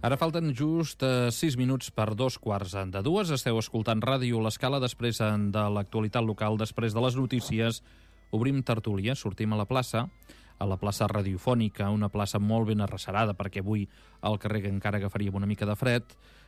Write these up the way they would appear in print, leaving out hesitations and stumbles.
Ara falten just 6 minuts per 2:15. Esteu escoltant Ràdio L'Escala després de l'actualitat local, després de les notícies. Obrim tertúlia, sortim a la plaça radiofònica, una plaça molt ben arrecerada, perquè avui al carrer encara agafaríem una mica de fred,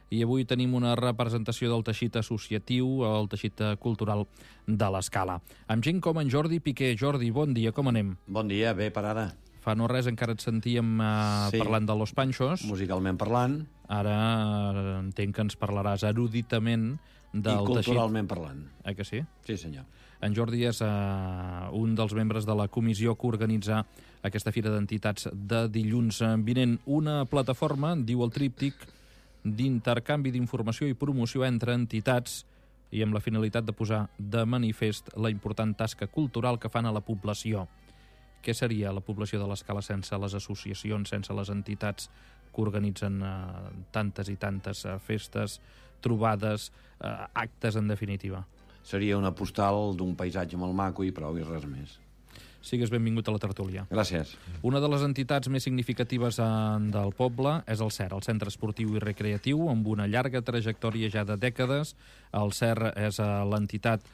i avui tenim una representació del teixit associatiu, el teixit cultural de l'Escala. Amb gent com en Jordi Piqué. Jordi, bon dia, com anem? Bon dia, bé per ara. Fa no res encara et sentíem parlant de Los Panchos. Musicalment parlant. Ara entenc que ens parlaràs eruditament del I culturalment parlant. Que sí? Sí, senyor. En Jordi és un dels membres de la comissió que organitza aquesta Fira d'Entitats de dilluns vinent. Una plataforma, diu el tríptic, d'intercanvi d'informació i promoció entre entitats i amb la finalitat de posar de manifest la important tasca cultural que fan a la població. Què seria la població de l'Escala sense les associacions, sense les entitats que organitzen tantes i tantes festes, trobades, actes, en definitiva? Seria una postal d'un paisatge molt maco i prou, i res més. Sigues benvingut a la tertúlia. Gràcies. Una de les entitats més significatives del poble és el CER, el Centre Esportiu i Recreatiu, amb una llarga trajectòria ja de dècades. El CER és l'entitat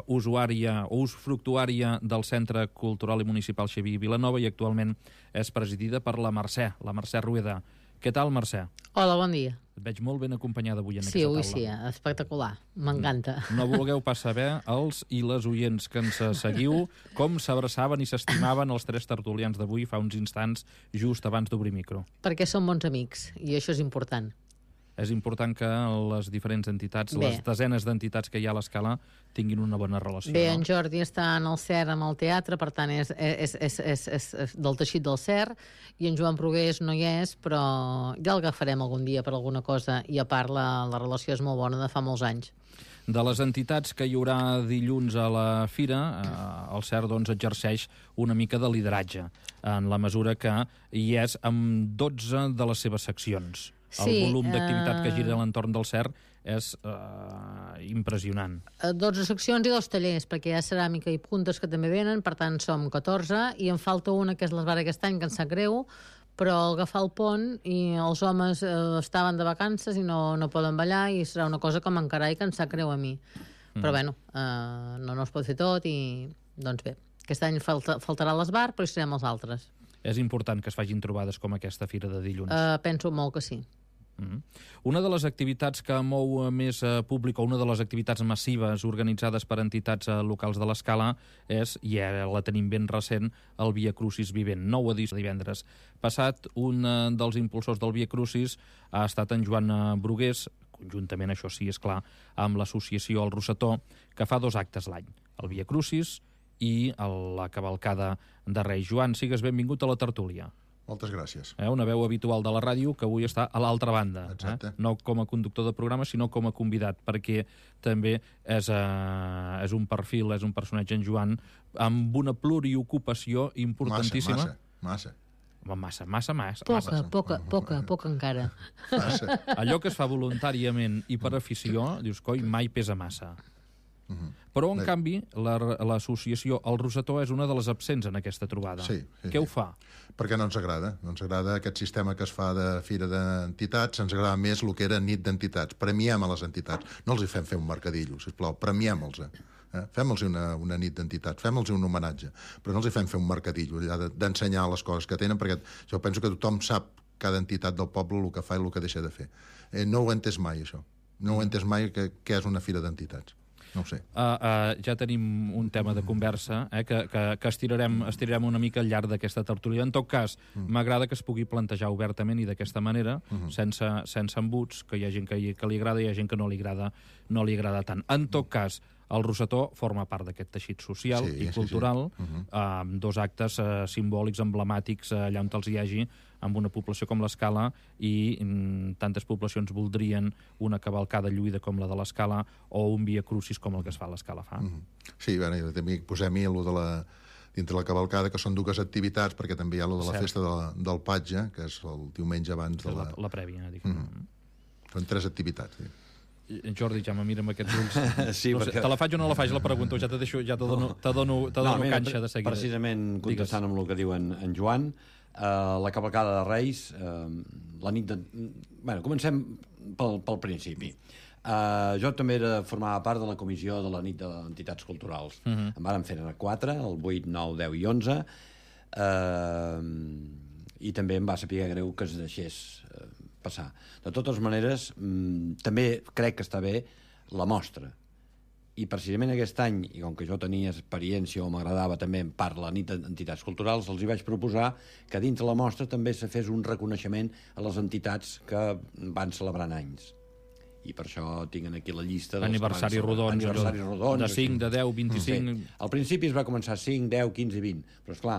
usuària o usufructuària del Centre Cultural i Municipal Xavier Vilanova i actualment és presidida per la Mercè Rueda. Què tal, Mercè? Hola, bon dia. Et veig molt ben acompanyada avui en aquesta taula. Sí, espectacular. M'encanta. No vulgueu pas saber, els i les oients que ens seguiu, com s'abraçaven i s'estimaven els tres tertulians d'avui fa uns instants, just abans d'obrir micro. Perquè som bons amics, i això és important. És important que les diferents entitats, les desenes d'entitats que hi ha a l'Escala, tinguin una bona relació. Bé, en Jordi està en el CER amb el teatre, per tant és del teixit del CER, i en Joan Brugués no hi és, però ja el agafarem algun dia per alguna cosa, i a part la relació és molt bona de fa molts anys. De les entitats que hi haurà dilluns a la fira, el CER doncs, exerceix una mica de lideratge, en la mesura que hi és amb 12 de les seves seccions. El volum d'activitat que gira a l'entorn del CER és impressionant. 12 seccions i 2 tallers, perquè hi ha ceràmica i puntes que també venen, per tant som 14, i en falta una que és l'Esbar aquest any, que ens sap greu, però al agafar el pont i els homes estaven de vacances i no poden ballar, i serà una cosa que m'encarà i que ens sap greu a mi. Però bueno, no es pot fer tot, i doncs bé, aquest any faltarà l'Esbar, però hi serem els altres. És important que es facin trobades com aquesta fira de dilluns? Penso molt que sí. Una de les activitats que mou més públic, o una de les activitats massives organitzades per entitats locals de l'Escala és, i ara la tenim ben recent, el Via Crucis Vivent, 9 edició divendres passat. Un dels impulsors del Via Crucis ha estat en Joan Brugués, conjuntament, això sí, és clar, amb l'associació El Rosetó, que fa 2 actes l'any, el Via Crucis i la cavalcada de Reis. Joan, sigues benvingut a la tertúlia. Moltes gràcies. Una veu habitual de la ràdio que avui està a l'altra banda. Exacte. No com a conductor de programa, sinó com a convidat, perquè també és un perfil, és un personatge, en Joan, amb una pluriocupació importantíssima. Massa. Poca encara. Massa. Allò que es fa voluntàriament i per afició, dius, coi, mai pesa massa. Però, en canvi, l'associació El Rosetó és una de les absents en aquesta trobada. Sí. Què ho fa? Perquè no ens agrada. No ens agrada aquest sistema que es fa de fira d'entitats. Ens agrada més el que era nit d'entitats. Premiem a les entitats. No els hi fem fer un mercadillo, sisplau. Premiem-los. Fem-los una nit d'entitats. Fem-los un homenatge. Però no els hi fem fer un mercadillo, allà d'ensenyar les coses que tenen, perquè jo penso que tothom sap, cada entitat del poble, el que fa i el que deixa de fer. No ho he entès mai, això. No ho he entès mai, què és una fira d'entitats. No ho sé. Ja tenim un tema de conversa que estirarem una mica al llarg d'aquesta tertúlia. En tot cas, m'agrada que es pugui plantejar obertament i d'aquesta manera, sense embuts, que hi ha gent que li agrada i hi ha gent que no li agrada tant. En tot cas, el Rosetó forma part d'aquest teixit social i cultural, amb 2 actes simbòlics, emblemàtics, allà on els hi hagi, amb una població com l'Escala, i tantes poblacions voldrien una cavalcada lluïda com la de l'Escala o un Via Crucis com el que es fa a l'Escala fa. Sí, també posem-hi dintre la cavalcada, que són 2 activitats, perquè també hi ha la festa del Patge, que és el diumenge abans de la prèvia. Són 3 activitats, sí. Jordi, ja me mira amb aquests ulls. Sí, no sé, te la faig o no la faig, la pregunto, te dono canxa de seguida. Precisament, contestant amb el que diu en Joan, La cavalcada de Reis, la nit de... Bueno, comencem pel principi. Jo també formava part de la comissió de la nit d'entitats culturals. Em vàrem fer 4, el 8, 9, 10 i 11, i també em va saber greu que es deixés passar. De totes maneres, també crec que està bé la mostra. I precisament aquest any, i com que jo tenia experiència o m'agradava també en part la nit d'entitats culturals, els hi vaig proposar que dins de la mostra també se fes un reconeixement a les entitats que van celebrant anys. I per això tinc aquí la llista dels aniversaris rodons, de 5, de 10, 25... Sí. Al principi es va començar 5, 10, 15 i 20, però esclar,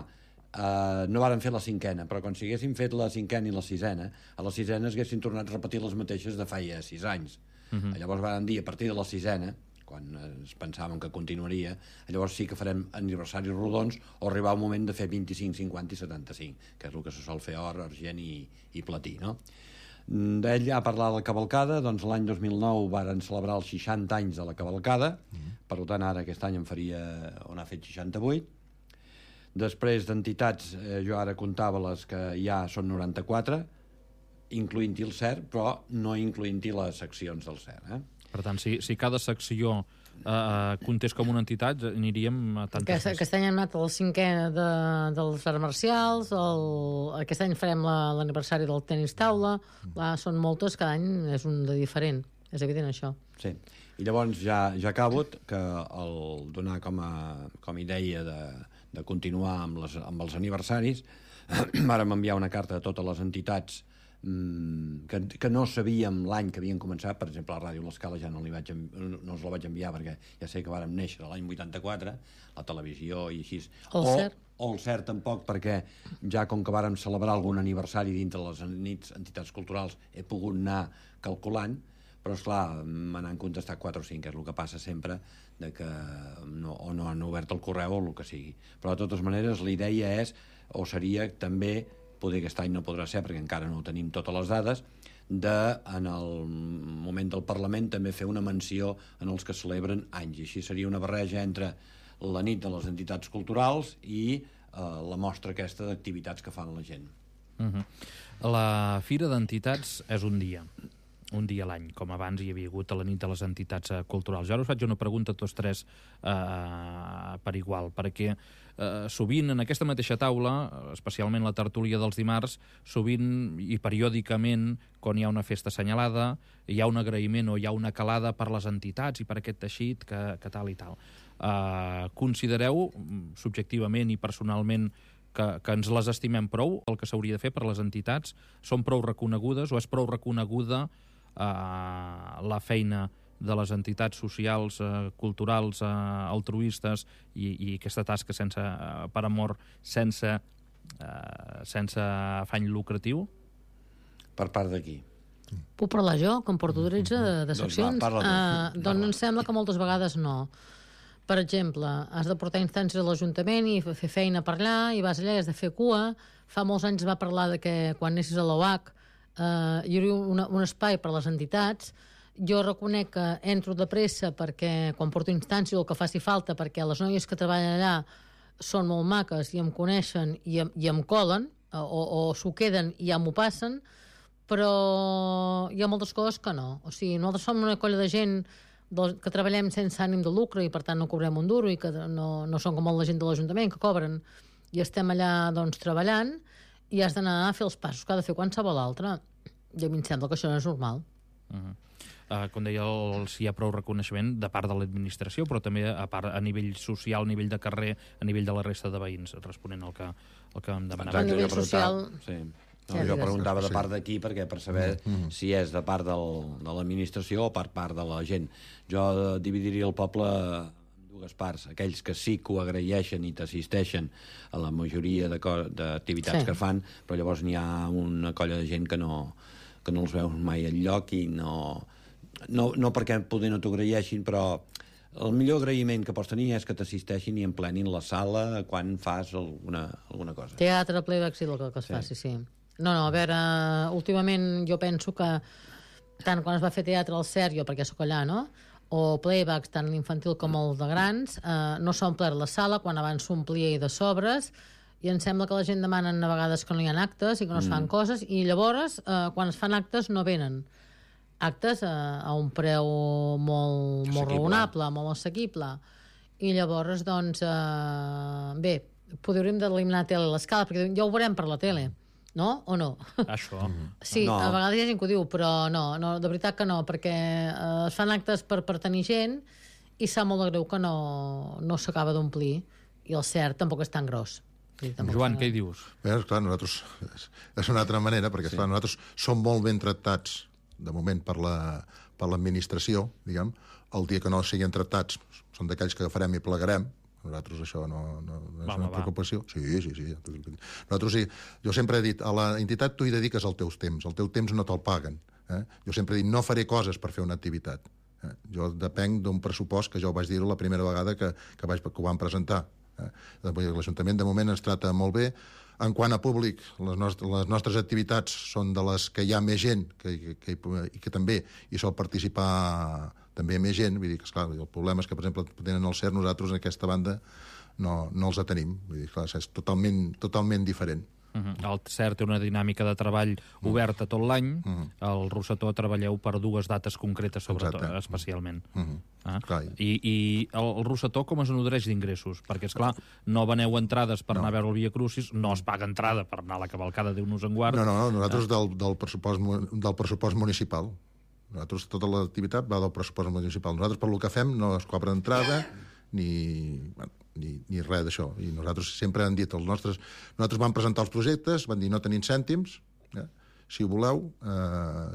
no varen fer la 5a, però quan si haguessin fet la 5a i la 6a, a la 6a haguessin tornat a repetir les mateixes de feia 6 anys. Llavors varen dir, a partir de la 6a, quan es pensàvem que continuaria, llavors sí que farem aniversaris rodons o arribar un moment de fer 25, 50 i 75, que és el que se sol fer or, argent i platí, no? D'ell ha parlat de la cavalcada, doncs l'any 2009 varen celebrar els 60 anys de la cavalcada, per tant ara aquest any en faria, on ha fet 68. Després d'entitats, jo ara comptava les que ja són 94, incloent-hi el CERT, però no incloent-hi les seccions del CERT. Per tant, si cada secció comptés com una entitat, aniríem a tantes... Aquest any hem anat al 5è dels arts marcials, aquest any farem l'aniversari del tenis taula, són moltes, cada any és un de diferent, és evident això. Sí, i llavors ja acabo, que el donar com a idea de continuar amb els aniversaris, vàrem enviar una carta a totes les entitats que no sabíem l'any que havien començat. Per exemple, a la Ràdio L'Escala ja no us la vaig enviar perquè ja sé que vàrem néixer l'any 84, la televisió i així. O el CERT tampoc, perquè ja com que vàrem celebrar algun aniversari dintre les entitats culturals he pogut anar calculant, però esclar, me n'han contestat 4 o 5, que és el que passa sempre, que o no han obert el correu o el que sigui. Però de totes maneres la idea és, o seria també, poder aquest any no podrà ser perquè encara no tenim totes les dades, en el moment del Parlament també fer una menció en els que celebren anys. I així seria una barreja entre la nit de les entitats culturals i la mostra aquesta d'activitats que fan la gent. La Fira d'Entitats és un dia a l'any, com abans hi havia hagut a la nit de les entitats culturals. Jo ara us faig una pregunta a tots tres per igual, perquè sovint en aquesta mateixa taula, especialment la tertúlia dels dimarts, sovint i periòdicament, quan hi ha una festa assenyalada, hi ha un agraïment o hi ha una calada per les entitats i per aquest teixit que tal i tal. Considereu, subjectivament i personalment, que ens les estimem prou, el que s'hauria de fer per les entitats? Són prou reconegudes o és prou reconeguda la feina de les entitats socials, culturals, altruistes i aquesta tasca per amor, sense afany lucratiu? Per part d'aquí? Puc parlar jo, que em porto 13 de seccions? Doncs em sembla que moltes vegades no. Per exemple, has de portar instàncies a l'Ajuntament i fer feina per allà, i vas allà i has de fer cua. Fa molts anys va parlar de que quan anessis a l'OAC hi hauria un espai per a les entitats. Jo reconec que entro de pressa perquè quan porto instàncies o el que faci falta, perquè les noies que treballen allà són molt maques i em coneixen i em colen, o s'ho queden i ja m'ho passen, però hi ha moltes coses que no. O sigui, nosaltres som una colla de gent que treballem sense ànim de lucre i per tant no cobrem un duro i que no som com la gent de l'Ajuntament que cobren i estem allà doncs treballant i has d'anar a fer els passos que ha de fer qualsevol altre. I a mi em sembla que això no és normal. Com deia, hi ha prou reconeixement de part de l'administració, però també a nivell social, a nivell de carrer, a nivell de la resta de veïns, responent al que em demanava. A nivell social... Sí. Jo preguntava de part d'aquí perquè per saber si és de part de l'administració o per part de la gent. Jo dividiria el poble en dues parts. Aquells que sí que ho agraeixen i t'assisteixen a la majoria d'activitats que fan, però llavors n'hi ha una colla de gent que no els veus mai enlloc i no perquè poder no t'ho agraeixin, però el millor agraïment que pots tenir és que t'assisteixin i emplenin la sala quan fas alguna cosa. Teatre, playback, sí, el que es faci, sí. No, a veure, últimament jo penso que tant quan es va fer teatre al CERT, jo perquè sóc allà, no?, o playbacks, tant l'infantil com el de grans, no s'ha omplert la sala quan abans s'omplia i de sobres, i em sembla que la gent demanen a vegades que no hi ha actes i que no es fan coses, i llavors, quan es fan actes, no venen actes a un preu molt raonable, molt assequible. I llavors, doncs, bé, podríem d'eliminar tele a l'escala, perquè ja ho veurem per la tele, no? O no? Això. Sí, No. a vegades hi ha gent que ho diu, però no, de veritat que no, perquè es fan actes per tenir gent i sap molt de greu que no s'acaba d'omplir, i el cert tampoc és tan gros. Joan, què hi dius? Bé, esclar, nosaltres... És una altra manera, perquè esclar, nosaltres som molt ben tractats, de moment, per l'administració, diguem. El dia que no siguin tractats, són d'aquells que farem i plegarem. Nosaltres això no és una preocupació. Sí. Nosaltres sí. Jo sempre he dit, a la entitat tu hi dediques el teu temps no te'l paguen. Jo sempre he dit, no faré coses per fer una activitat. Jo depenc d'un pressupost, que ja ho vaig dir la primera vegada que ho vam presentar. L'Ajuntament de moment ens trata molt bé. En quant a públic, les nostres activitats són de les que hi ha més gent i que també hi sol participar també més gent. Vull dir que, esclar, el problema és que, per exemple, tenen el CERT, nosaltres en aquesta banda no els tenim. Vull dir, esclar, és totalment diferent. El CERT té una dinàmica de treball oberta tot l'any. El Rossetó treballeu per 2 dates concretes, sobretot, especialment. I el Rossetó com es nodreix d'ingressos? Perquè, esclar, no veneu entrades per anar a veure el Via Crucis, no es paga entrada per anar a la cavalcada, Déu-nos en guard. No, nosaltres del pressupost municipal. Nosaltres, tota l'activitat va del pressupost municipal. Nosaltres, per lo que fem, no es cobra entrada ni res d'això. I nosaltres sempre hem dit, nosaltres vam presentar els projectes, van dir no tenim cèntims, si ho voleu,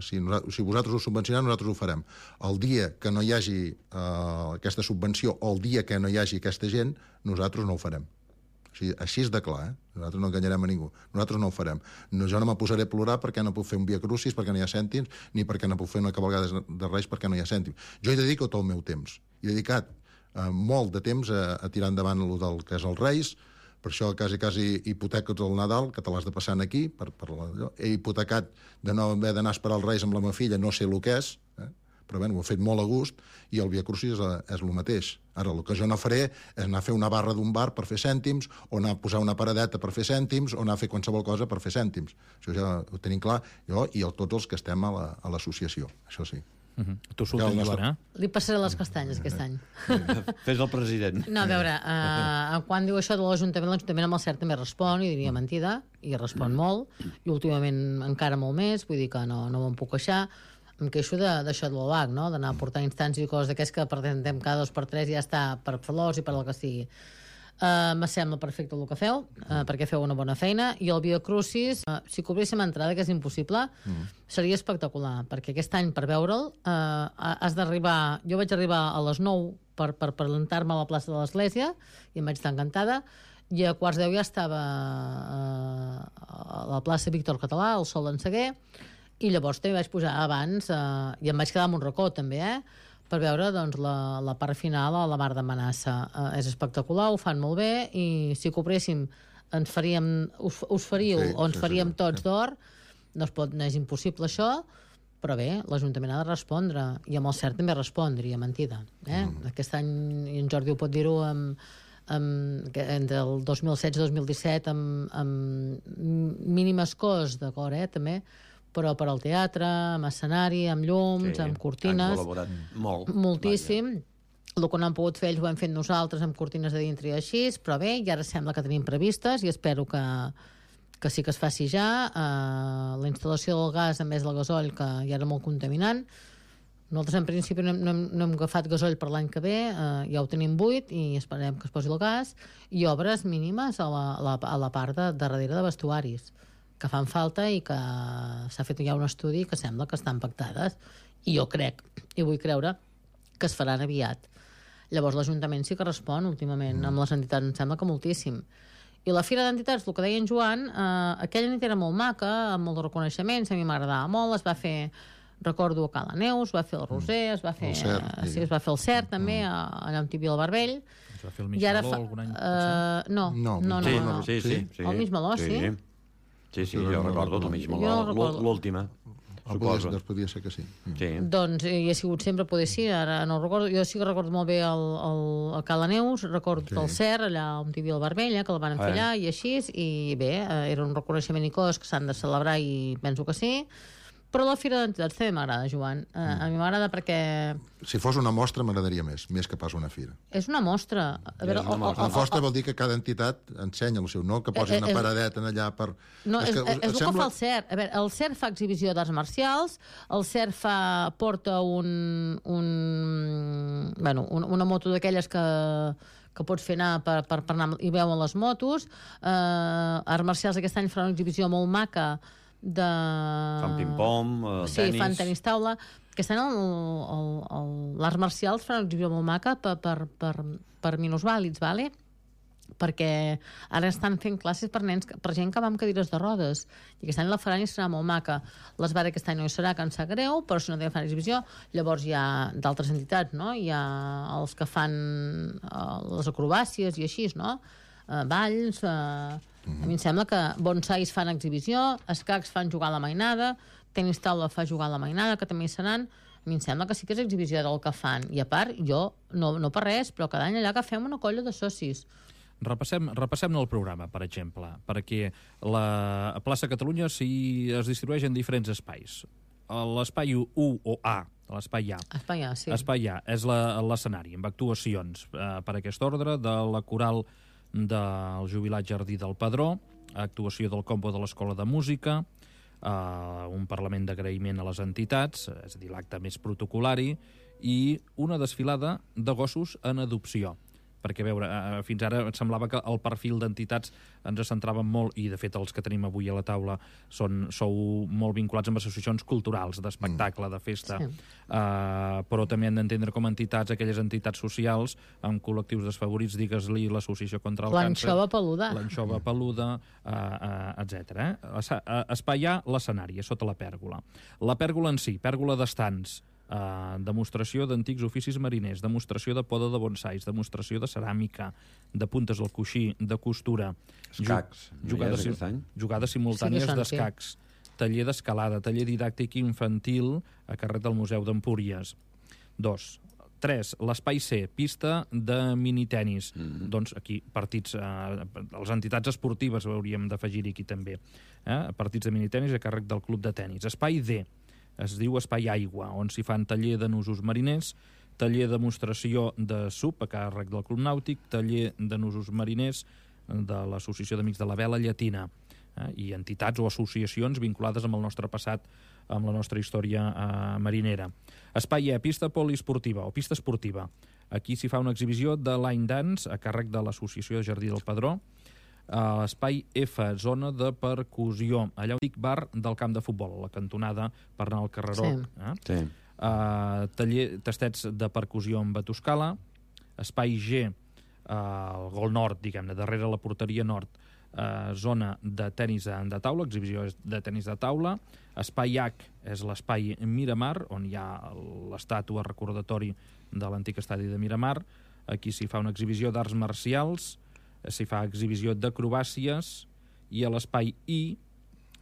si vosaltres ho subvencioneu, nosaltres ho farem. El dia que no hi hagi aquesta subvenció o el dia que no hi hagi aquesta gent, nosaltres no ho farem. Així és de clar, nosaltres no enganyarem a ningú. Nosaltres no ho farem. Jo no me posaré a plorar perquè no puc fer un Via Crucis, perquè no hi ha cèntims, ni perquè no puc fer una cavalgada de Reis perquè no hi ha cèntims. Jo hi dedico tot el meu temps. He dedicat molt de temps a tirar endavant el que és els Reis, per això quasi hipoteco tot el Nadal, que te l'has de passar aquí, he hipotecat de no haver d'anar a esperar els Reis amb la meva filla, no sé el que és, però bé, ho he fet molt a gust, i el Via Crucis és el mateix. Ara, el que jo no faré és anar a fer una barra d'un bar per fer cèntims, o anar a posar una paradeta per fer cèntims, o anar a fer qualsevol cosa per fer cèntims. Això ja ho tenim clar, jo i tots els que estem a l'associació, això sí. Tu surts, Joan, Li passaré les castanyes aquest any. Fes el president. No, a veure, quan diu això de l'Ajuntament amb el CERT també respon, i diria mentida, i respon molt, i últimament encara molt més, vull dir que no me'n puc queixar. Em queixo d'això de l'OAC, no? D'anar a portar instàncies i coses d'aquests que presentem cada 2 per 3 i ja està, per flors i per el que sigui. Me sembla perfecte el que feu, perquè feu una bona feina, i el Via Crucis, si cobréssim entrada, que és impossible, seria espectacular, perquè aquest any per veure'l has d'arribar... Jo vaig arribar a les 9 per plantar-me a la plaça de l'Església i em vaig estar encantada, i a 9:15 ja estava a la plaça Víctor Català, al Sol d'en Seguer, i llavors també vaig pujar abans i em vaig quedar amb un racó també, per veure doncs, la part final a la Mar de Manassa. És espectacular, ho fan molt bé, i si cobréssim us faríeu o ens faríem tots d'or, no és impossible això, però bé, l'Ajuntament ha de respondre, i amb el CERT també respondria, mentida. Aquest any, i en Jordi ho pot dir-ho, entre el 2016 i 2017 amb mínimes coses, d'acord, també, però per al teatre, amb escenari, amb llums, amb cortines... Han col·laborat molt. Moltíssim. El que no han pogut fer ells ho hem fet nosaltres amb cortines de dintre i així, però bé, i ara sembla que tenim previstes i espero que sí que es faci ja. La instal·lació del gas, a més del gasoll, que ja era molt contaminant. Nosaltres, en principi, no hem agafat gasoll per l'any que ve, ja ho tenim buit i esperem que es posi el gas, i obres mínimes a la part de darrere de vestuaris, que fan falta i que s'ha fet ja un estudi que sembla que estan pactades, i jo crec, i vull creure, que es faran aviat. Llavors l'Ajuntament sí que respon últimament, amb les entitats em sembla que moltíssim. I la Fira d'Entitats, el que deia en Joan, aquella nit era molt maca, amb molt de reconeixements, a mi m'agradava molt, es va fer, recordo, a Cala Neus, es va fer el Roser, es va fer el CERT també, allà on hi havia el Barbell. Es va fer el Mig Meló algun any? No. Sí. El Mig Meló, sí. Sí, jo recordo el Mig Meló, l'última. suposo. Doncs podria ser que sí. Sí. Doncs hi ha sigut sempre, poder sí, ara no ho recordo. Jo sí que recordo molt bé el Cala Neus, recordo el CER, allà on hi havia el Barbella, que el van fer allà, i així, i bé, era un reconeixement i coses que s'han de celebrar i penso que sí. Però la Fira d'Entitats també m'agrada, Joan. A mi m'agrada perquè... Si fos una mostra m'agradaria més que pas una fira. És una mostra. A veure, Una mostra vol dir que cada entitat ensenya el seu, no que posi una paradeta allà per... No, és el que fa el CERT. A veure, el CERT fa exhibició d'arts marcials, el CERT porta una moto d'aquelles que pots fer anar per anar i veuen les motos. Arts marcials aquest any farà una exhibició molt maca fan ping-pong, sí, tenis... fan tenis taula. Aquest any l'arts marcials farà una exhibició molt maca per minusvàlids, vale? Perquè ara estan fent classes per nens, per gent que va amb cadires de rodes, i aquest any la faran i serà molt maca. L'Esbara aquest any no hi serà, que em sap greu, però si no fan exhibició. Llavors hi ha d'altres entitats, no? Hi ha els que fan les acrobàcies i així, no? Balls... A mi em sembla que bonsais fan exhibició, escacs fan jugar a la mainada, tenis taula fa jugar a la mainada, que també hi seran. A mi em sembla que sí que és exhibició del que fan. I a part, jo, no per res, però cada any allà que fem una colla de socis. Repassem el programa, per exemple, perquè la plaça Catalunya es distribueix en diferents espais. L'espai 1 o A, l'espai A. Espai A, sí. Espai A és l'escenari, amb actuacions per aquest ordre de la coral del Jubilat Jardí del Padró, actuació del combo de l'Escola de Música, un parlament d'agraïment a les entitats, és a dir, l'acte més protocolari, i una desfilada de gossos en adopció. Perquè, a veure, fins ara em semblava que el perfil d'entitats ens centràvem molt, i de fet els que tenim avui a la taula sou molt vinculats amb associacions culturals, d'espectacle, de festa, però també han d'entendre com a entitats aquelles entitats socials amb col·lectius desfavorits, digues-li l'Associació contra el Càncer, l'Anxova Peluda, etc. Espai A, l'escenari, sota la pèrgola. La pèrgola en si, pèrgola d'estants, demostració d'antics oficis mariners, demostració de poda de bonsais, demostració de ceràmica, de puntes al coixí, de costura, escacs, jugades simultànies d'escacs, taller d'escalada, taller didàctic infantil a carrer del Museu d'Empúries. 2. 3. L'espai C, pista de minitenis. Doncs aquí, partits, les entitats esportives hauríem d'afegir-hi aquí també. Partits de minitenis a càrrec del Club de Tenis. Espai D, es diu Espai Aigua, on s'hi fan taller de nusos mariners, taller de demostració de SUP a càrrec del Club Nàutic, taller de nusos mariners de l'Associació d'Amics de la Vela Llatina, i entitats o associacions vinculades amb el nostre passat, amb la nostra història marinera. Espai E, pista poliesportiva o pista esportiva. Aquí s'hi fa una exhibició de line dance a càrrec de l'Associació de Jardí del Padró. Espai F, zona de percussió, allà on dic bar del camp de futbol, a la cantonada per anar al carreró. Sí. Taller, tastets de percussió amb batuscala. Espai G, el gol nord, diguem-ne, darrere la porteria nord, zona de tenis de taula, exhibició de tenis de taula. Espai H és l'espai Miramar, on hi ha l'estàtua recordatori de l'antic estadi de Miramar. Aquí s'hi fa una exhibició d'arts marcials, s'hi fa exhibició d'acrobàcies, i a l'espai I,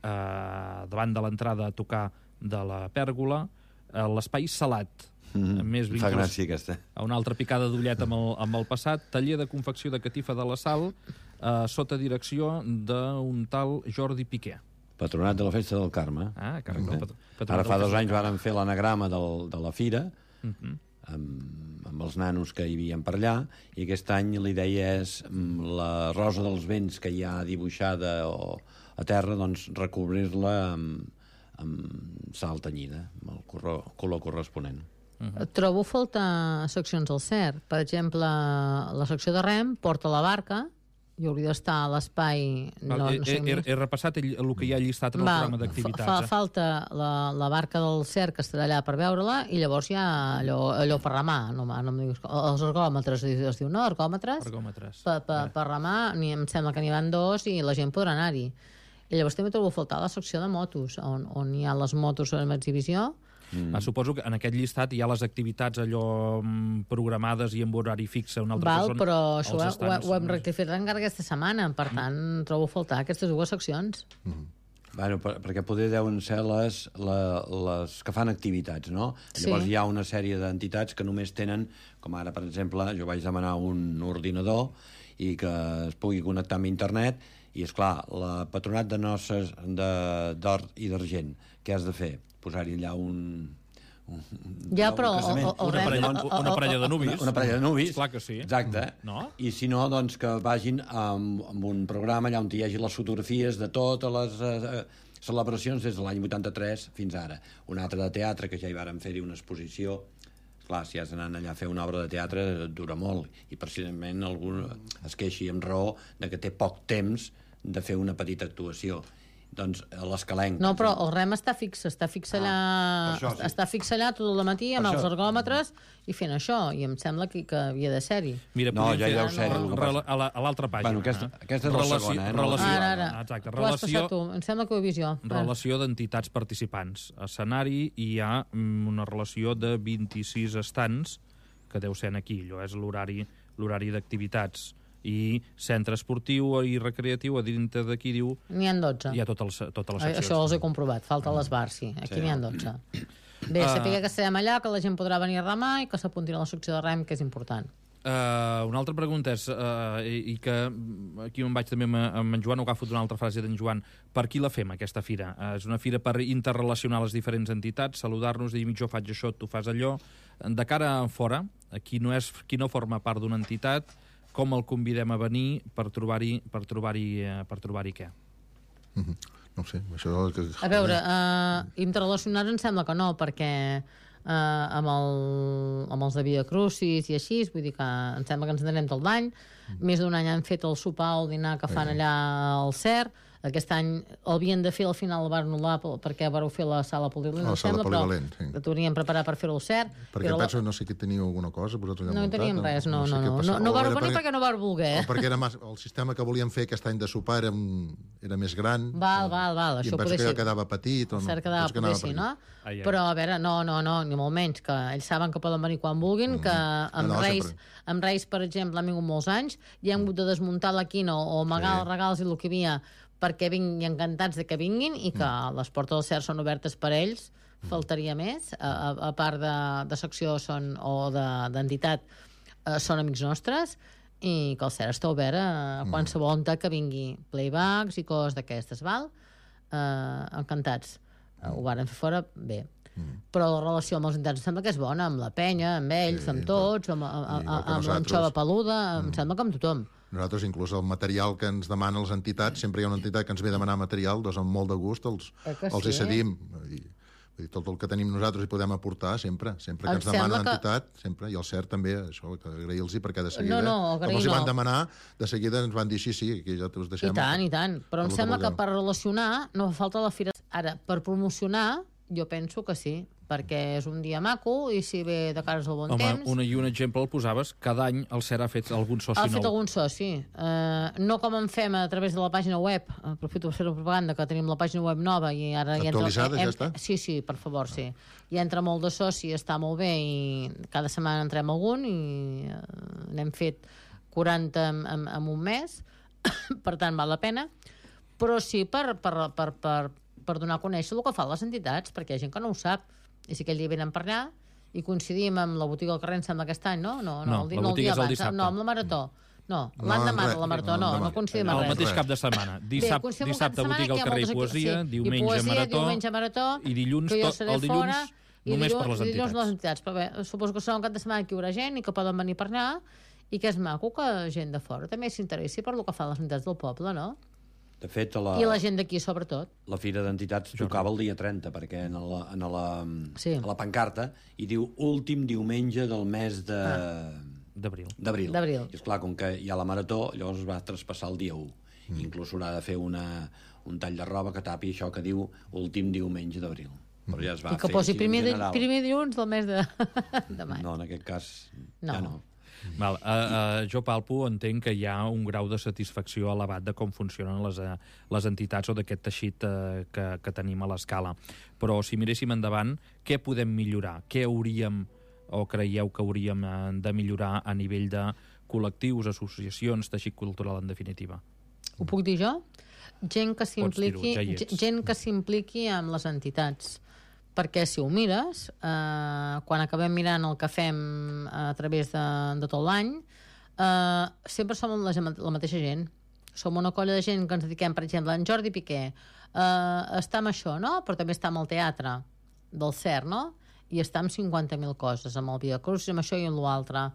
davant de l'entrada a tocar de la pèrgola, l'espai Salat, més fa gràcia aquesta. A una altra picada d'ullet amb el passat, taller de confecció de catifa de la Sal, sota direcció d'un tal Jordi Piqué. Patronat de la Festa del Carme. Patronat. Ara fa 2 anys varen fer l'anagrama de la fira, amb els nanos que hi havia per allà, i aquest any la idea és la rosa dels vents que hi ha dibuixada a terra, doncs recobrir-la amb sal tenyida, amb el color corresponent. Trobo faltar seccions al CERT. Per exemple, la secció de rem porta la barca, i hauria d'estar a l'espai... He repassat el que hi ha llistat en el programa d'activitats. Falta la barca del CERT, que estarà allà per veure-la, i llavors hi ha allò per remar. No em diguis, els ergòmetres, es diu, no? Ergòmetres. Per remar, em sembla que n'hi van 2 i la gent podrà anar-hi. I llavors també trobo faltar la secció de motos, on hi ha les motos en exhibició. Suposo que en aquest llistat hi ha les activitats allò programades i amb horari fixe. Però això ho hem rectificat encara aquesta setmana, per tant trobo faltar aquestes 2 seccions. Bueno, perquè poder deuen ser les que fan activitats, no? Sí. Llavors hi ha una sèrie d'entitats que només tenen, com ara, per exemple, jo vaig demanar un ordinador i que es pugui connectar amb internet, i, esclar, la Patronat de Noces d'Or i d'Argent, què has de fer? Posar-hi allà Ja, però... Una parella de nuvis. Una parella de nuvis. Clar que sí. Exacte. No? I si no, doncs que vagin amb un programa allà on hi hagi les fotografies de totes les celebracions des de l'any 83 fins ara. Un altre de teatre, que ja hi vàrem fer-hi una exposició. Clar, si has d'anar allà a fer una obra de teatre, dura molt. I precisament algú es queixi amb raó de que té poc temps de fer una petita actuació. Doncs l'Escalenc... No, però el rem està fix allà, això, sí. està fix allà tot el matí amb els ergòmetres i fent això, i em sembla que havia de ser-hi. Mira, No, ja deu ser-hi. a l'altra pàgina. Bueno, aquesta és la segona, Ara. Exacte. Ho has passat tu, em sembla que ho he vist jo. Relació d'entitats participants. A escenari hi ha una relació de 26 estants, que deu ser aquí, allò és l'horari d'activitats. I centre esportiu i recreatiu, a dintre d'aquí diu... N'hi ha 12. Hi ha totes les seccions. Això els he comprovat, falta les bars, sí. Aquí n'hi ha 12. Bé, sapigueu que estarem allà, que la gent podrà venir a remar i que s'apuntin a la secció de rem, que és important. Una altra pregunta és, i que aquí me'n vaig també amb en Joan, ho agafo d'una altra frase d'en Joan, per qui la fem, aquesta fira? És una fira per interrelacionar les diferents entitats, saludar-nos, dir, jo faig això, tu fas allò. De cara a fora, qui no forma part d'una entitat, com el convidem a venir per trobar-hi què? No ho sé, això... A veure, interrelacionats em sembla que no, perquè amb els de Via Crucis i així, vull dir que em sembla que ens en anem tot l'any. Més d'un any han fet el sopar o el dinar que fan allà al CER. Aquest any el havien de fer, al final el van anul·lar perquè vareu fer la sala polivalent, però que t'hauríem preparat per fer-ho al CER. Perquè penso, no sé que teniu alguna cosa, vosaltres no teníem res, no vau venir perquè no vau voler. O perquè el sistema que volíem fer aquest any de sopar era més gran. Val, i em penso que quedava petit. El CER quedava poder sí, no? Però, a veure, no, ni molt menys, que ells saben que poden venir quan vulguin, que amb Reis, per exemple, han vingut molts anys, i hem hagut de desmuntar la quina o amagar els regals i el que hi havia perquè vinguin encantats de que vinguin i que les portes del CER són obertes per ells, faltaria més, a part de secció o d'entitat són amics nostres, i que el CER està obert a qualsevol entitat que vingui, playbacks i coses d'aquestes, val? Encantats. Ho varen fer fora, bé. Però la relació amb els entitats em sembla que és bona, amb la penya, amb ells, amb tots, amb l'anxova peluda, em sembla que amb tothom. Nosaltres, inclús el material que ens demanen les entitats, sempre hi ha una entitat que ens ve a demanar material, doncs amb molt de gust els hi cedim. Tot el que tenim nosaltres hi podem aportar sempre que ens demana l'entitat, sempre, i el CERT també, això, que agrair-los perquè de seguida, com els hi van demanar, de seguida ens van dir sí, que ja us deixem. I tant, però em sembla que per relacionar no fa falta la fira. Ara, per promocionar, jo penso que sí, perquè és un dia maco i si ve de cares al bon temps... Home, un exemple el posaves, cada any el CER ha fet algun soci nou. Ha fet algun soci. No com en fem a través de la pàgina web, aprofito per fer la propaganda, que tenim la pàgina web nova i ara... Actualitzada, ja està? Sí, per favor, sí. Hi entra molt de soci, està molt bé i cada setmana entrem algun i n'hem fet 40 en un mes, per tant val la pena, però sí per donar a conèixer el que fan les entitats, perquè hi ha gent que no ho sap. I si aquell dia venen per allà i coincidim amb la botiga del carrer, em sembla aquest any, no? No, la botiga és el dissabte. No, amb la Marató. No, l'endemà de la Marató, no coincidim amb res. El mateix cap de setmana. Dissabte botiga al carrer i poesia, diumenge Marató, i dilluns només per les entitats. Però bé, suposo que serà un cap de setmana que hi haurà gent i que poden venir per allà i que és maco que gent de fora també s'interessi per el que fan les entitats del poble, no? De fet, i la gent d'aquí, sobretot. La Fira d'Entitats tocava el dia 30, perquè a la pancarta hi diu últim diumenge del mes d'abril. I esclar, com que hi ha la Marató, llavors es va traspassar el dia 1. Inclús s'haurà de fer un tall de roba que tapi això que diu últim diumenge d'abril. Però ja es va fer. I que posi primer dilluns del mes de maig. No, en aquest cas ja no. Val, jo palpo, entenc que hi ha un grau de satisfacció elevat de com funcionen les entitats o d'aquest teixit que tenim a l'escala. Però si miréssim endavant, què podem millorar? Què hauríem o creieu que hauríem de millorar a nivell de col·lectius, associacions, teixit cultural en definitiva? Ho puc dir jo? Gent que s'impliqui dir-ho, ja hi ets. gent que s'impliqui amb les entitats. Perquè si ho mires, quan acabem mirant el que fem a través de tot l'any, sempre som la mateixa gent. Som una colla de gent que ens dediquem, per exemple, en Jordi Piqué està amb això, no? Però també està amb el teatre del CERN, no? I està amb 50.000 coses, amb el Viacruz, amb això i amb l'altre,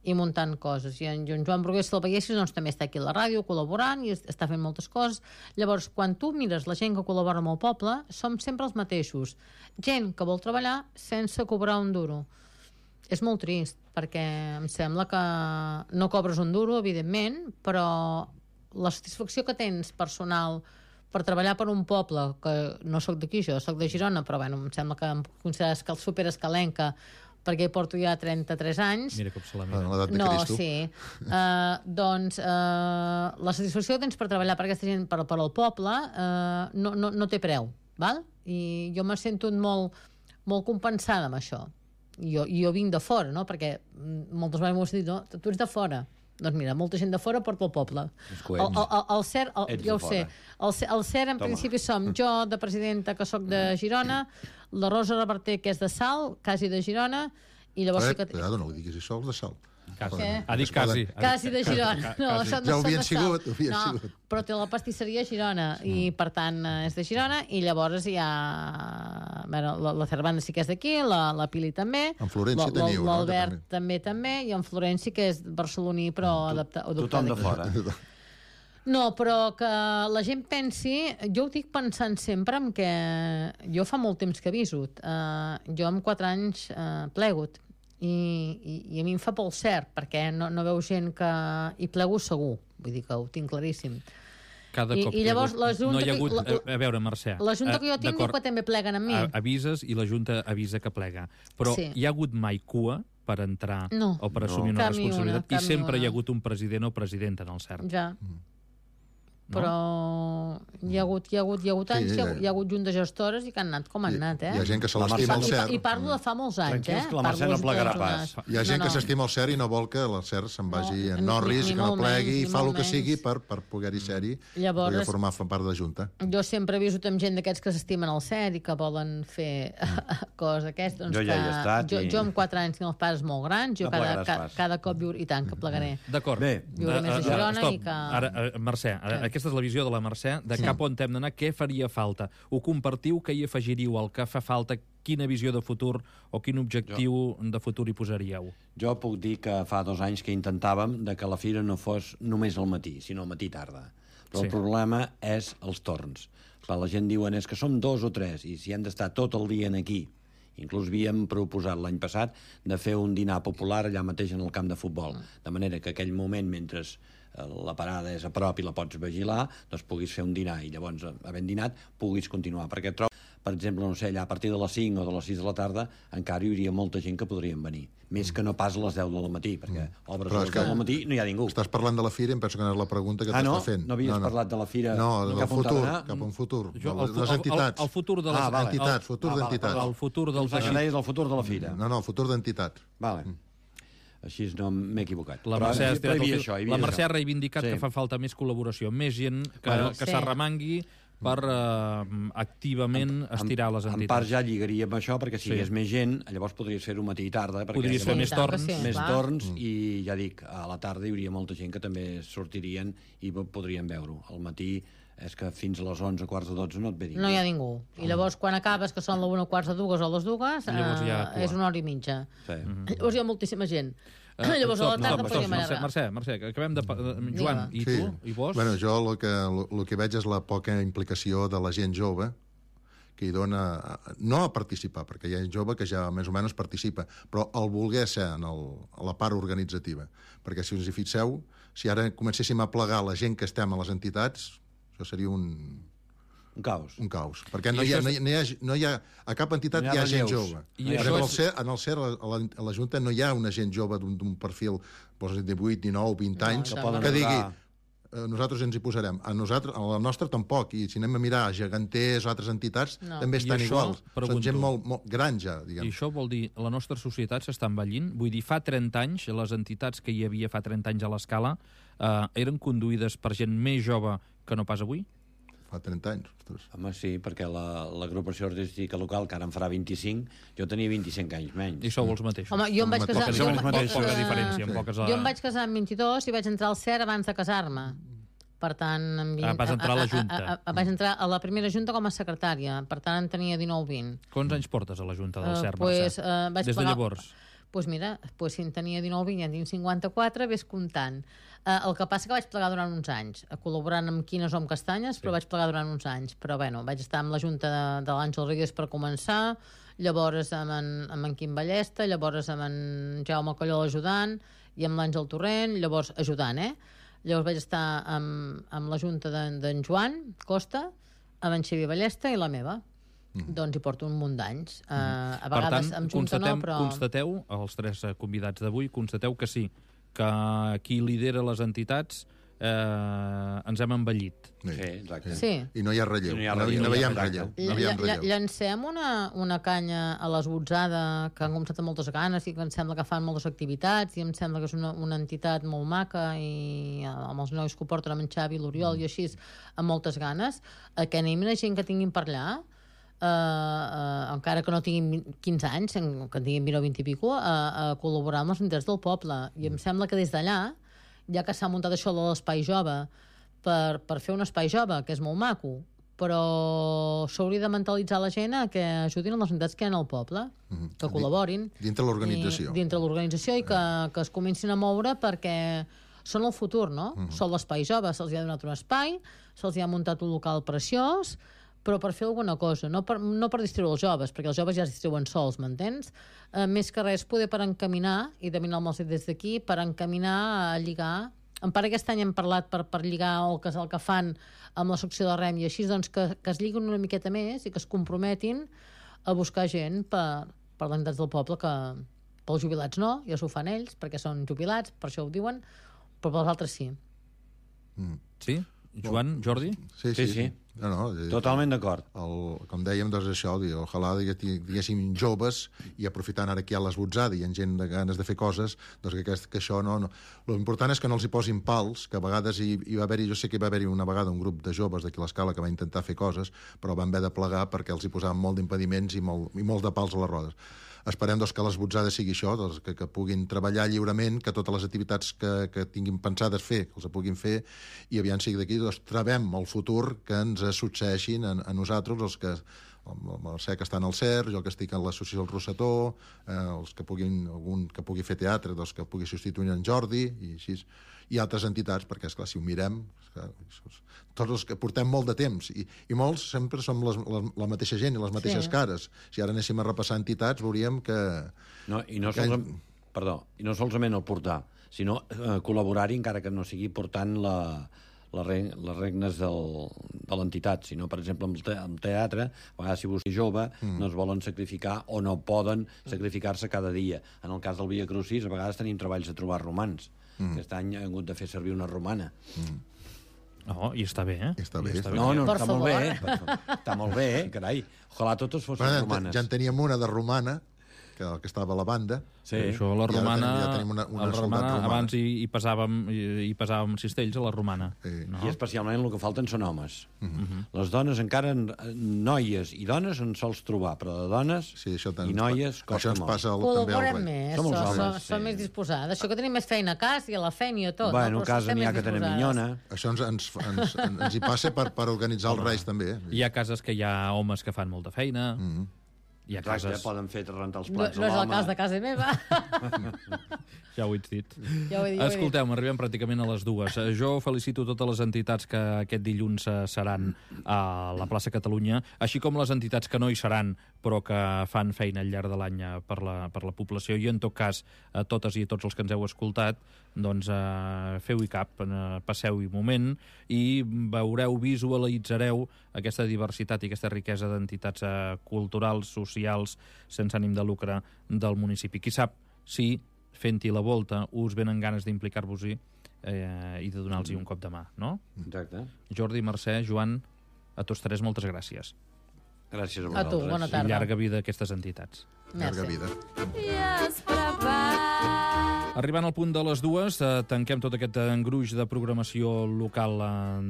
i muntant coses. I en Joan Brugués, si el veiessis, doncs també està aquí a la ràdio col·laborant i està fent moltes coses. Llavors, quan tu mires la gent que col·labora amb el poble, som sempre els mateixos. Gent que vol treballar sense cobrar un duro. És molt trist, perquè em sembla que no cobres un duro, evidentment, però la satisfacció que tens personal per treballar per un poble, que no sóc d'aquí, jo sóc de Girona, però bueno, em sembla que em consideres que el superescalenca, perquè hi porto ja 33 anys. Mira com se la mira. En l'edat de Cristo. Sí. Doncs la satisfacció que tens per treballar per aquesta gent, per al poble, no té preu, val? I jo me sento molt, molt compensada amb això. Jo vinc de fora, no? Perquè moltes vegades m'ho has dit, no? Tu ets de fora. Doncs mira, molta gent de fora porta el poble. El CERN, ja ho sé. El CERN, en principi, som jo, de presidenta, que sóc de Girona, la Rosa Reverter, que és de Salt, quasi de Girona, i llavors... Cuidado, no ho diguis, si sols de Salt. Quasi. Ha dit quasi. Quasi de Girona. No, quasi. Ja ho havien sigut, sigut. Però té la pastisseria a Girona i per tant és de Girona i llavors hi ha la Cervanda sí que és d'aquí, la Pili també, en Florenci teniu, l'Albert també i en Florenci que és barceloní però adoptat Tothom de fora. No, però que la gent pensi... Jo ho dic pensant sempre en que jo fa molt temps que aviso. Jo amb 4 anys plegut i a mi em fa por el cert perquè no veu gent que hi plego segur, vull dir que ho tinc claríssim. I llavors la Junta... No hi ha hagut... A veure, Mercè... La Junta que jo tinc diu que també pleguen amb mi. Avises i la Junta avisa que plega. Però hi ha hagut mai cua per entrar o per assumir una responsabilitat i sempre hi ha hagut un president o presidenta en el CERN. Ja. Però hi ha hagut anys, hi ha hagut juntes gestores i que han anat com han anat, Hi ha gent que se l'estima al CERN. I parlo de fa molts anys, Tranquils, que la Mercè no plegarà pas. Hi ha gent que s'estima el CERN i no vol que el CERN se'n vagi en Norris, que no plegui, i fa el que sigui per poder-hi ser-hi, poder formar part de la Junta. Jo sempre he viscut amb gent d'aquests que s'estimen el CERN i que volen fer coses aquestes. Jo ja hi he estat. Jo amb 4 anys tinc els pares molt grans, jo cada cop viuré, i tant que plegaré. D'acord. Viuré més a Girona i que... Ara, Mercè, aquesta és la visió de la Mercè, de cap on hem d'anar, què faria falta? Ho compartiu, què hi afegiríeu al que fa falta, quina visió de futur o quin objectiu de futur hi posaríeu? Jo puc dir que fa 2 anys que intentàvem de que la fira no fos només al matí, sinó al matí-tarda. Però el problema és els torns. Clar, la gent diuen és que som 2 o 3 i si hem d'estar tot el dia aquí. Inclús havíem proposat l'any passat de fer un dinar popular allà mateix en el camp de futbol, de manera que aquell moment, mentre la parada és a prop i la pots vigilar, doncs puguis fer un dinar i llavors, havent dinat, puguis continuar. Perquè trobo, per exemple, no sé, allà a partir de les 5 o de les 6 de la tarda encara hi hauria molta gent que podrien venir. Més que no pas a les 10 del matí, perquè obres a les 10 del matí no hi ha ningú. Estàs parlant de la fira i em penso que no és la pregunta que t'està fent. No havies parlat de la fira cap a un futur. Les entitats. El futur de les entitats. Futur d'entitats. El futur del teixit. Deies el futur de la fira. No, el futur d'entitats. Vale. Així no m'he equivocat. La Mercè ha reivindicat que fa falta més col·laboració, més gent que s'arremangui per activament estirar les entitats. En part ja lligaria amb això, perquè si hi hagués més gent, llavors podries fer-ho matí i tarda. Podries fer més torns. Més torns, i ja dic, a la tarda hi hauria molta gent que també sortirien i podrien veure-ho. Al matí és que fins a les 11, quarts de 12 no et ve ningú. No hi ha ningú. I llavors, quan acabes, que són les 1, quarts de 2 o les 2, és 1 hora i mitja. Llavors hi ha moltíssima gent. Llavors a la tarda podríem anar... Mercè, acabem de... Joan, i tu? I vos? Bueno, jo el que veig és la poca implicació de la gent jove que hi dona, no a participar, perquè hi ha gent jove que ja més o menys participa, però el voler ser a la part organitzativa. Perquè si us hi fixeu, si ara comencéssim a plegar la gent que estem a les entitats, això seria un caos. Un caus. Perquè no hi ha a cap entitat hi ha gent jove. En el CER, a la Junta, no hi ha una gent jove d'un perfil de 18, 19, 20 anys que digui nosaltres ens hi posarem. A la nostra tampoc. I si anem a mirar geganters o altres entitats, també estan iguals. Són gent molt gran ja, diguem. I això vol dir, la nostra societat s'està envellint? Vull dir, fa 30 anys, les entitats que hi havia fa 30 anys a l'escala eren conduïdes per gent més jove que no pas avui? fa 30 anys. Ostres. Home, sí, perquè l'agrupació artística local, que ara en farà 25, jo tenia 25 anys menys. I sou els mateixos. Home, jo em vaig casar... Poca diferència. Jo em vaig casar amb 22 i vaig entrar al CER abans de casar-me. Per tant... Vas entrar a la Junta. Vaig entrar a la primera Junta com a secretària. Per tant, en tenia 19-20. Quants anys portes a la Junta del CER, Mercè? Des de llavors? Doncs mira, si en tenia 19-20 i en tinc 54, ves comptant. El que passa que vaig plegar durant uns anys, col·laborant amb Quines o amb Castanyes, però vaig plegar durant uns anys. Però bueno, vaig estar amb la Junta de l'Àngel Reyes per començar, llavors amb en Quim Ballesta, llavors amb en Jaume Colló ajudant, i amb l'Àngel Torrent, llavors ajudant, Llavors vaig estar amb la Junta d'en Joan Costa, amb en Xavier Ballesta i la meva. Doncs hi porto un munt d'anys. A vegades amb Junta no, però... Constateu, els tres convidats d'avui, constateu que sí, que qui lidera les entitats ens hem envellit. Sí, exacte. Sí. I no hi ha relleu. No veiem relleu. Llancem una canya a l'esbotzada que han començat amb moltes ganes i que em sembla que fan moltes activitats i em sembla que és una entitat molt maca i amb els nois que ho porten amb en Xavi, l'Oriol i així, amb moltes ganes, que anem a gent que tinguin per allà, encara que no tinguin 15 anys, que en tinguin 20 o 20 i pico, a col·laborar amb les entitats del poble. I em sembla que des d'allà, ja que s'ha muntat això de l'espai jove, per fer un espai jove, que és molt maco, però s'hauria de mentalitzar la gent a que ajudin a les entitats que hi ha al poble, que col·laborin. Dintre l'organització. Dintre l'organització i que es comencin a moure perquè són el futur, no? Són l'espai jove, se'ls ha donat un espai, se'ls ha muntat un local preciós, però per fer alguna cosa, no per distreure els joves, perquè els joves ja es distriuen sols, m'entens? Més que res poder per encaminar, i de mirar amb els des d'aquí, per encaminar a lligar. En part aquest any hem parlat per lligar el que fan amb la secció de rem i així, doncs que es lliguin una miqueta més i que es comprometin a buscar gent per les entitats del poble, que pels jubilats no, ja s'ho fan ells, perquè són jubilats, per això ho diuen, però pels altres sí. Sí? Joan, Jordi? Sí. No, totalment d'acord. Com dèiem, doncs això, ojalà diguéssim joves i aprofitant ara que hi ha l'esbotzada i hi ha gent de ganes de fer coses, doncs que això no... L'important és que no els hi posin pals, que a vegades hi va haver-hi, jo sé que hi va haver-hi una vegada un grup de joves d'aquí a l'Escala que va intentar fer coses, però van haver de plegar perquè els hi posaven molt d'impediments i molts de pals a les rodes. Esperem doncs, que l'esbotzada sigui això, doncs, que puguin treballar lliurement, que totes les activitats que tinguin pensades fer, que els puguin fer, i aviam sigui d'aquí, doncs, trebem el futur que ens succeeixin a nosaltres, els que el Mercè que està al CER, jo que estic a l'associació del Rosetó, els que algun que pugui fer teatre, doncs, que pugui substituir en Jordi, i així, i altres entitats, perquè, esclar, si ho mirem, tots els que portem molt de temps, i molts sempre som la mateixa gent i les mateixes cares. Si ara anéssim a repassar entitats, veuríem que... I no solament el portar, sinó col·laborar-hi, encara que no sigui portant les regnes de l'entitat, sinó, per exemple, amb teatre, a vegades si vostè és jove, no es volen sacrificar o no poden sacrificar-se cada dia. En el cas del Via Crucis, a vegades tenim treballs de trobar romans. Aquest any ha hagut de fer servir una romana. Oh, i està bé, Està bé. No, està molt bé. Està molt bé, carai. Ojalà totes fossin romanes. Ja en teníem una de romana, que estava a la banda. Sí. Això, la romana, ja tenim una romana. Abans hi pesàvem cistells a la romana. Sí. No? I especialment el que falten són homes. Les dones encara, noies i dones en sols trobar, però de dones i noies costa molt. Passa col·laborem més, som més disposades. Això que tenim més feina a casa i a la feina i a tot. Bueno, a casa n'hi ha que tenen minyona. Això ens hi passa per organitzar els reis també. Hi ha cases que hi ha homes que fan molta feina. Hi ha cases... Ja poden fer rentar els plats a l'home. No és el cas de casa meva. Ja ho he dit. Escolteu, arribem pràcticament a les 2. Jo felicito totes les entitats que aquest dilluns seran a la plaça Catalunya, així com les entitats que no hi seran, però que fan feina al llarg de l'any per la població. I en tot cas, a totes i a tots els que ens heu escoltat, doncs feu-hi cap, passeu-hi moment i veureu, visualitzareu aquesta diversitat i aquesta riquesa d'entitats culturals, socials, sense ànim de lucre del municipi. Qui sap si fent-hi la volta us venen ganes d'implicar-vos-hi i de donar-los un cop de mà, no? Exacte. Jordi, Mercè, Joan, a tots tres moltes gràcies. Gràcies a A vosaltres. tu, bona tarda. I llarga vida a aquestes entitats. Llarga vida. I es prepara Arribant al punt de les 2, tanquem tot aquest engruix de programació local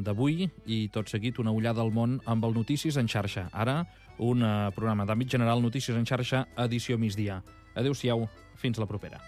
d'avui i tot seguit una ullada al món amb el Notícies en xarxa. Ara, un programa d'àmbit general, Notícies en xarxa, edició migdia. Adéu-siau, fins la propera.